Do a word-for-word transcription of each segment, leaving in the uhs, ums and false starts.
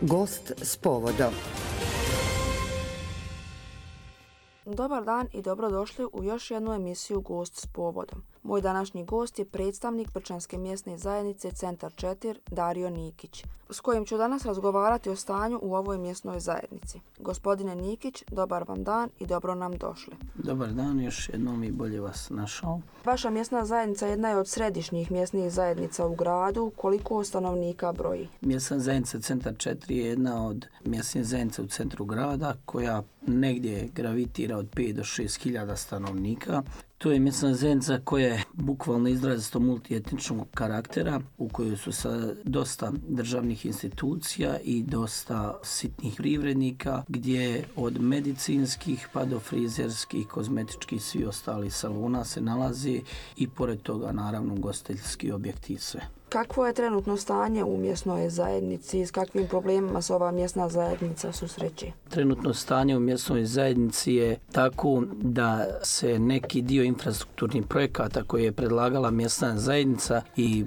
Gost s povodom. Dobar dan i dobrodošli u još jednu emisiju Gost s povodom. Moj današnji gost je predstavnik Brčanske mjesne zajednice Centar četiri Dario Nikić, s kojim ću danas razgovarati o stanju u ovoj mjesnoj zajednici. Gospodine Nikić, dobar vam dan i dobro nam došli. Dobar dan, još jednom i bolje vas našao. Vaša mjesna zajednica jedna je od središnjih mjesnih zajednica u gradu. Koliko stanovnika broji? Mjesna zajednica Centar četiri je jedna od mjesnih zajednica u centru grada koja negdje gravitira od pet do šest hiljada stanovnika. To je mjesna zajednica koja je bukvalno izrazito multietničnog karaktera, u kojoj su sa dosta državnih institucija i dosta sitnih privrednika, gdje od medicinskih pa do frizerskih, kozmetičkih, svi ostali salona se nalazi i pored toga naravno ugostiteljski objekti i sve. Kakvo je trenutno stanje u mjesnoj zajednici? S kakvim problemima se ova mjesna zajednica susreće? Trenutno stanje u mjesnoj zajednici je tako da se neki dio infrastrukturnih projekata koje je predlagala mjesna zajednica i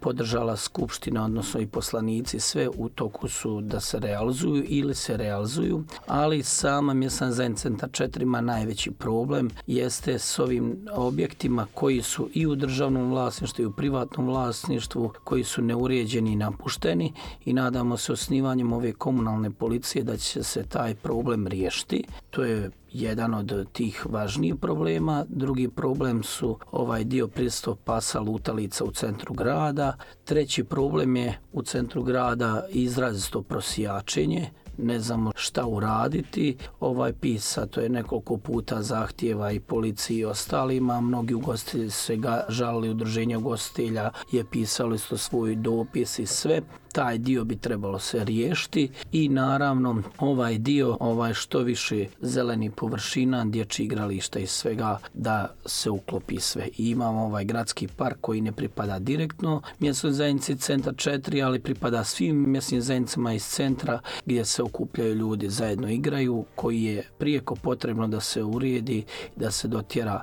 podržala skupština, odnosno i poslanici, sve u toku su da se realizuju ili se realizuju, ali sama mjesna zajednica Centar četiri ima najveći problem jeste s ovim objektima koji su i u državnom vlasništvu i u privatnom vlasništvu, koji su neuređeni i napušteni, i nadamo se osnivanjem ove komunalne policije da će se taj problem riješiti. To je jedan od tih važnijih problema. Drugi problem su ovaj dio prisustvo pasa lutalica u centru grada. Treći problem je u centru grada izrazito prosjačenje. Ne znamo šta uraditi. Ovaj pisa, to je nekoliko puta zahtjeva i policiji i ostalima. Mnogi ugostitelji se ga žalili, udruženje ugostitelja je pisalo isto svoj dopis i sve. Taj dio bi trebalo se riješiti i naravno ovaj dio, ovaj što više zeleni površina, dječjih igrališta i svega da se uklopi sve. I imamo ovaj gradski park koji ne pripada direktno mjesnoj zajednici Centar četiri, ali pripada svim mjesnim zajednicama iz centra gdje se okupljaju ljudi, zajedno igraju, koji je prijeko potrebno da se uredi, da se dotjera.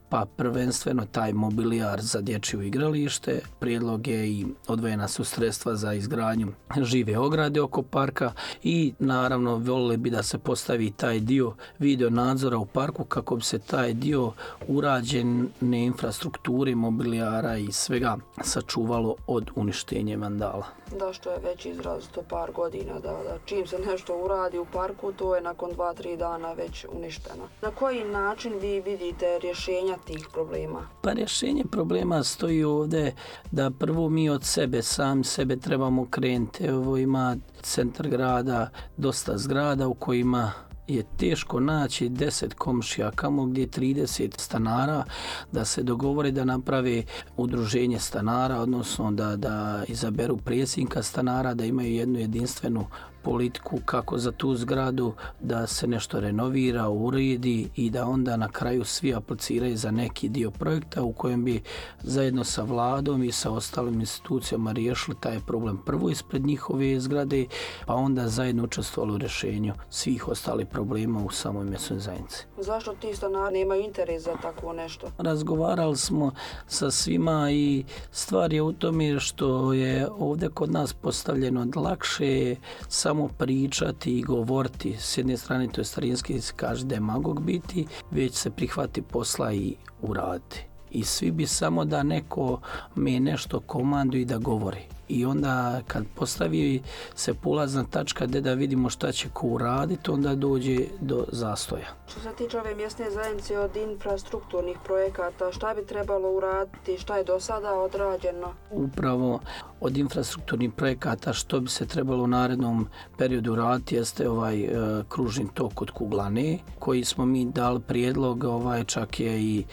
Pa prvenstveno taj mobilijar za dječje igralište, prijedlog je i odvojena su sredstva za izgradnju žive ograde oko parka i naravno voljeli bi da se postavi taj dio video nadzora u parku kako bi se taj dio urađene infrastrukture, mobilijara i svega sačuvalo od uništenja vandala. Da, što je već izrazito par godina, da, da čim se nešto uradi u parku, to je nakon dva, tri dana već uništeno. Na koji način vi vidite rješenja tih problema? Pa rješenje problema stoji ovdje da prvo mi od sebe, sami sebe trebamo krenuti. Evo ima centar grada dosta zgrada u kojima je teško naći deset komšija, kamo gdje trideset stanara, da se dogovore da naprave udruženje stanara, odnosno da, da izaberu predsjednika stanara, da imaju jednu jedinstvenu politiku kako za tu zgradu da se nešto renovira, uredi i da onda na kraju svi apliciraju za neki dio projekta u kojem bi zajedno sa vladom i sa ostalim institucijama riješili taj problem prvo ispred njihove zgrade, pa onda zajedno učestvovali u rješenju svih ostalih problema u samoj mjesnoj zajednici. Zašto ti stanari nemaju interes za takvo nešto? Razgovarali smo sa svima i stvar je u tome što je ovdje kod nas postavljeno da lakše je samo pričati i govoriti. S jedne strane to je starinski se kaže demagog biti, već se prihvati posla i uraditi. I svi bi samo da neko me nešto komanduje i da govori. I onda kad postavi se polazna tačka gdje da vidimo šta će ko uraditi, onda dođe do zastoja. Što se tiče ove mjesne zajednice od infrastrukturnih projekata, šta bi trebalo uraditi, šta je do sada odrađeno? Upravo od infrastrukturnih projekata što bi se trebalo u narednom periodu raditi jeste ovaj e, kružni tok od Kuglane, koji smo mi dali prijedlog, ovaj čak je i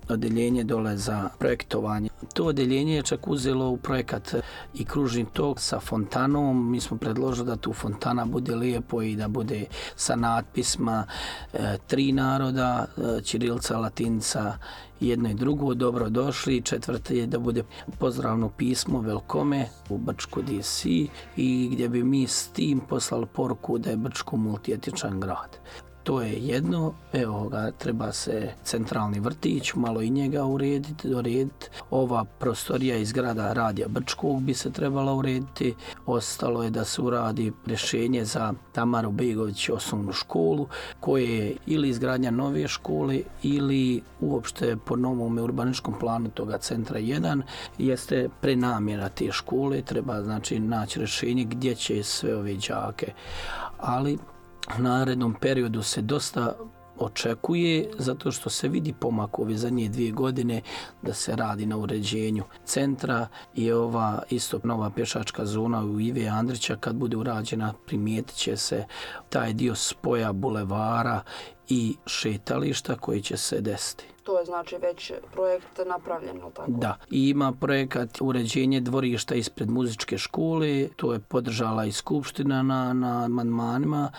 odeljenje dole za projektovanje. To odeljenje je čak uzelo u projekat i kružni tok sa fontanom. Mi smo predložili da tu fontana bude lijepo i da bude sa natpisma e, tri naroda, e, ćirilica, latinica, jedno i drugo, dobro došli. Četvrte je da bude pozdravno pismo Velkome u Brčko D C i gdje bi mi s tim poslali poruku da je Brčko multietičan grad. To je jedno, evo ga, treba se centralni vrtić, malo i njega urediti, dorediti. Ova prostorija iz grada Radija Brčkog bi se trebala urediti. Ostalo je da se uradi rješenje za Tamaru Begović osnovnu školu, koje je ili izgradnja nove škole ili uopšte po novom urbaničkom planu toga centra jedan, jeste prenamjera te škole, treba znači naći rješenje gdje će sve ove đake. Ali u narednom periodu se dosta očekuje, zato što se vidi pomak ove zadnje dvije godine da se radi na uređenju centra i ova isto nova pješačka zona u Ive Andrića kad bude urađena primijetit će se taj dio spoja bulevara i šetališta koji će se desiti. To je znači već projekt napravljeno, tako? Da, i ima projekat uređenje dvorišta ispred muzičke škole, to je podržala i skupština na, na amandmanima.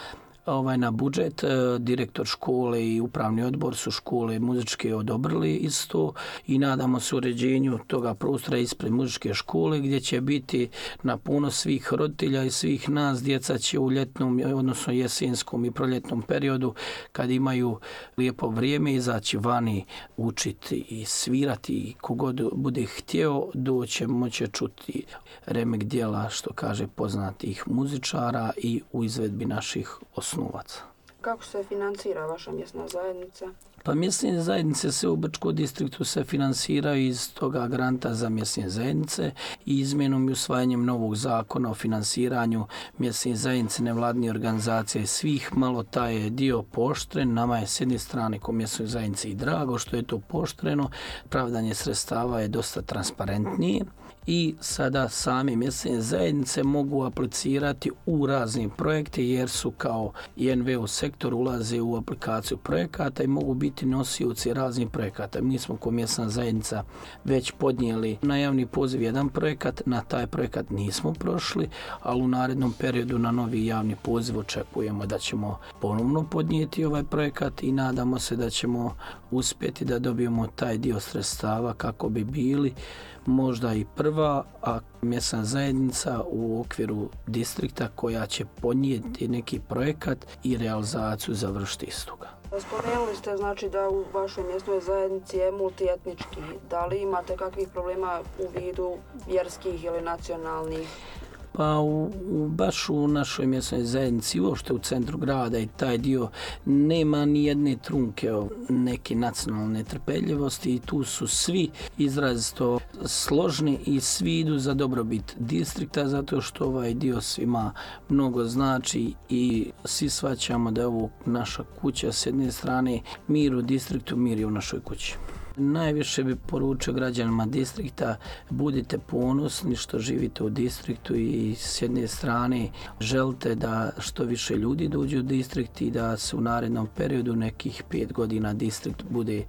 Ovaj, na budžet, direktor škole i upravni odbor su škole muzičke odobrili isto i nadamo se uređenju toga prostora ispred muzičke škole gdje će biti na puno svih roditelja i svih nas. Djeca će u ljetnom, odnosno jesenskom i proljetnom periodu kad imaju lijepo vrijeme izaći vani učiti i svirati i kogod bude htjeo doće moće čuti remek djela, što kaže, poznatih muzičara i u izvedbi naših osnovaca. Kako se financira vaša mjesna zajednica? Pa mjesne zajednice se u Brčkom distriktu se finansiraju iz toga granta za mjesne zajednice i izmjenom i usvajanjem novog zakona o finansiranju mjesne zajednice, nevladine organizacije svih, malo taj dio pooštren. Nama je s jedne strane ko mjesnoj zajednici i drago što je to pooštreno, pravdanje sredstava je dosta transparentnije i sada same mjesne zajednice mogu aplicirati u razne projekte jer su kao I N V O sektor ulaze u aplikaciju projekata i mogu biti nosioci raznih projekata. Mi smo kao mjesna zajednica već podnijeli na javni poziv jedan projekat, na taj projekat nismo prošli, ali u narednom periodu na novi javni poziv očekujemo da ćemo ponovno podnijeti ovaj projekat i nadamo se da ćemo uspjeti da dobijemo taj dio sredstava kako bi bili možda i prva, a mjesna zajednica u okviru distrikta koja će podnijeti neki projekat i realizaciju završiti istoga. Spomenuli ste znači da u vašoj mjesnoj zajednici je multietnički. Da li imate kakvih problema u vidu vjerskih ili nacionalnih? Pa u, u, baš u našoj mjesnoj zajednici, uopšte u centru grada i taj dio, nema ni jedne trunke o neke nacionalne trpeljivosti i tu su svi izrazito složni i svi idu za dobrobit distrikta zato što ovaj dio svima mnogo znači i svi shvaćamo da je ovo naša kuća s jedne strane, mir u distriktu, mir je u našoj kući. Najviše bi poručio građanima distrikta, budite ponosni što živite u distriktu i s jedne strane želite da što više ljudi dođu u distrikt i da se u narednom periodu nekih pet godina distrikt bude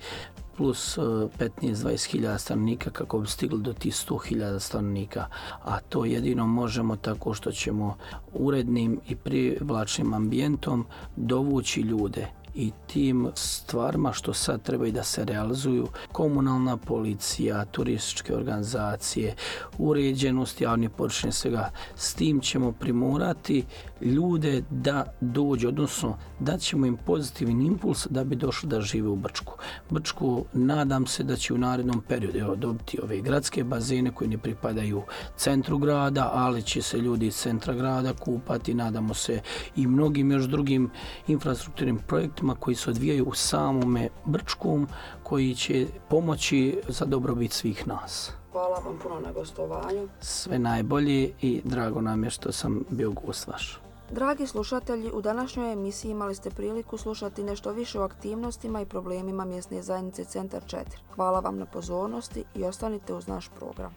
plus petnaest do dvadeset hiljada stanovnika kako bi stigli do tih sto hiljada stanovnika. A to jedino možemo tako što ćemo urednim i privlačnim ambijentom dovući ljude i tim stvarima što sad treba i da se realizuju, komunalna policija, turističke organizacije, uređenost javnih površina, svega, s tim ćemo primorati ljude da dođu, odnosno da ćemo im pozitivan impuls da bi došli da žive u Brčku. Brčku nadam se da će u narednom periodu evo, dobiti ove gradske bazene koji ne pripadaju centru grada, ali će se ljudi iz centra grada kupati, nadamo se i mnogim još drugim infrastrukturnim projektima koji se odvijaju u samome Brčkom, koji će pomoći za dobrobit svih nas. Hvala vam puno na gostovanju. Sve najbolje i drago nam je što sam bio gost vaš. Dragi slušatelji, u današnjoj emisiji imali ste priliku slušati nešto više o aktivnostima i problemima mjesne zajednice Centar četiri. Hvala vam na pozornosti i ostanite uz naš program.